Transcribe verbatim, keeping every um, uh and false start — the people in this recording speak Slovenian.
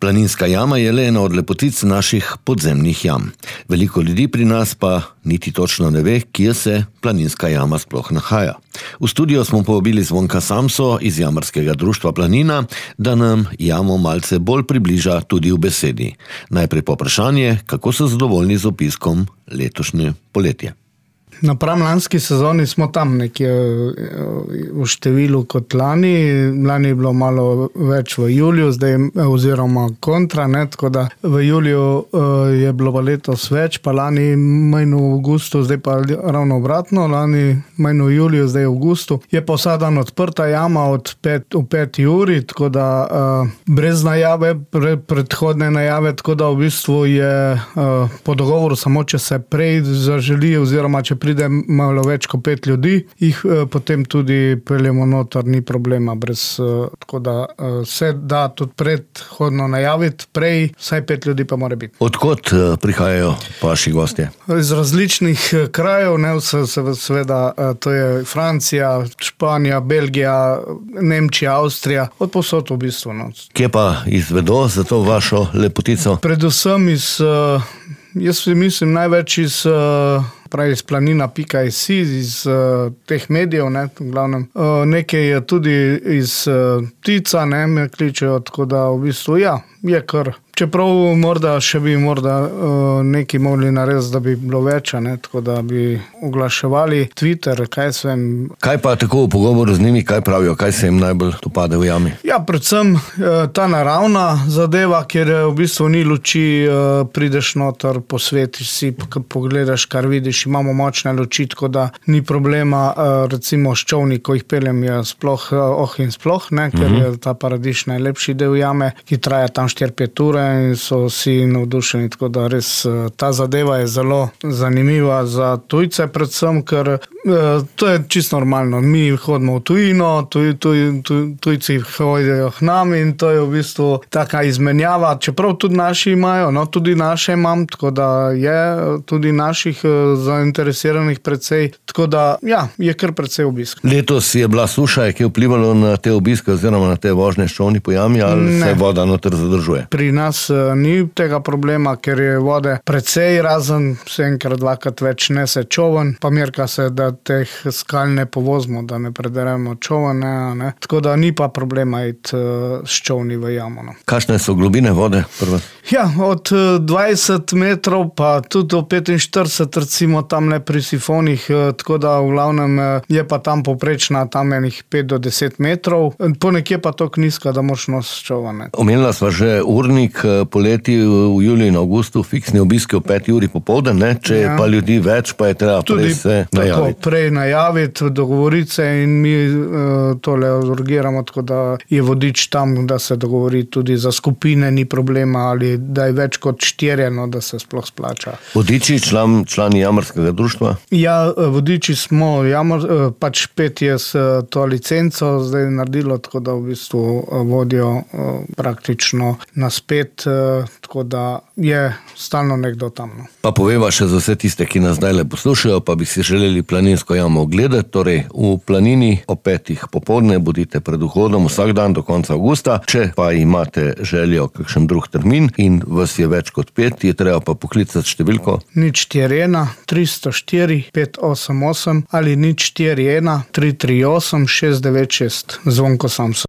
Planinska jama je le ena od lepotic naših podzemnih jam. Veliko ljudi pri nas pa niti točno ne ve, kje se Planinska jama sploh nahaja. V studio smo povabili Zvonka Samso iz Jamarskega društva Planina, da nam jamo malce bolj približa tudi v besedi. Najprej povprašanje, kako so zadovoljni z opiskom letošnje poletje. Napram lanski sezoni smo tam nekje v številu kot lani. Lani je bilo malo več v juliju, zdaj oziroma kontra, ne, tako da v juliju je bilo pa letos več, pa lani manj v avgustu, zdaj pa ravno obratno, lani manj v juliju, zdaj v avgustu. Je pa vsak dan odprta jama od pet, v peti uri, tako da brez najave, pre, predhodne najave, tako da v bistvu je po dogovoru samo, če se prej zaželi oziroma če pride malo več kot pet ljudi, jih potem tudi peljemo noter, ni problema brez, tako da se da tudi predhodno najaviti, prej vsaj pet ljudi pa mora biti. Odkot prihajajo vaši gostje? Iz različnih krajev, ne, seveda to je Francija, Španija, Belgija, Nemčija, Avstrija, od povsod v bistvu. No. Kje pa izvedo za to vašo lepotico? Predvsem iz, jaz mislim največ iz pravi iz planina pika si, iz uh, teh medijev, ne, v glavnem. Uh, nekaj je tudi iz uh, Tica, ne, me kličejo, tako da v bistvu, ja, je kar. Čeprav morda še bi morda uh, nekaj mogli narediti, da bi bilo več, ne, tako da bi oglaševali Twitter, kaj se vem. Kaj pa tako v pogovoru z njimi, kaj pravijo, kaj se jim najbolj dopade v jami? Ja, predvsem uh, ta naravna zadeva, kjer v bistvu ni luči, uh, prideš noter, posvetiš si, pogledaš, kar vidiš, imamo močne luči, tako da ni problema, uh, recimo s čovni, ko jih peljem, je sploh uh, oh in sploh, ne, ker uh-huh. je ta Paradiž najlepši del jame, ki traja tam štiri pet ure in so vsi navdušeni, tako da res ta zadeva je zelo zanimiva za tujce predvsem, ker to je čisto normalno. Mi hodimo v tujino, tuj, tuj, tuj, tujci hodijo k nam in to je v bistvu taka izmenjava, čeprav tudi naši imajo, no tudi naše imam, tako da je tudi naših zainteresiranih precej, tako da ja, je kar precej obisk. Letos je bila suša, je vplivalo na te obiske oziroma na te vožnje s čovni po jami, ali ne. Se voda noter zadržuje? Pri nas ni tega problema, ker je vode precej, razen se enkrat, dvakrat več nese čoven, pa merka se, da teh skal ne povozimo, da ne prederemo čoven, ne, ne. Tako da ni pa problema iti s čovni v jamo. No. Kakšne so globine vode prve? Ja, od dvajset metrov pa tudi do petinštirideset, recimo tamle pri sifonih, tako da v glavnem je pa tam poprečna tam enih pet do deset metrov, ponekje pa to nizka, da moš nos čoven. Omenila sva že urnik, poleti v juliju in avgustu, fiksni obiski v peti uri popoldan, ne? Če ja. Je pa ljudi več, pa je treba tudi prej se najaviti. Tako, prej najaviti, dogovoriti se in mi uh, tole urgiramo, tako da je vodič tam, da se dogovori tudi za skupine, ni problema, ali da je več kot štirje, no, da se sploh splača. Vodiči, član, člani Jamarskega društva? Ja, vodiči smo, jamar, pač pet je s to licenco zdaj naredilo, tako da v bistvu vodijo uh, praktično na spet, tako da je stalno nekdo tam. No. Pa poveva še za vse tiste, ki nas zdaj le poslušajo, pa bi si želeli Planinsko jamo ogledati, torej v Planini o petih popoldne bodite pred vhodom vsak dan do konca avgusta. Če pa imate željo kakšen drug termin in vas je več kot pet, je treba pa poklicati številko nič štiri ena tri sto štiri pet osem osem ali nič štiri ena tri tri osem šest devet šest. Zvonko Samso.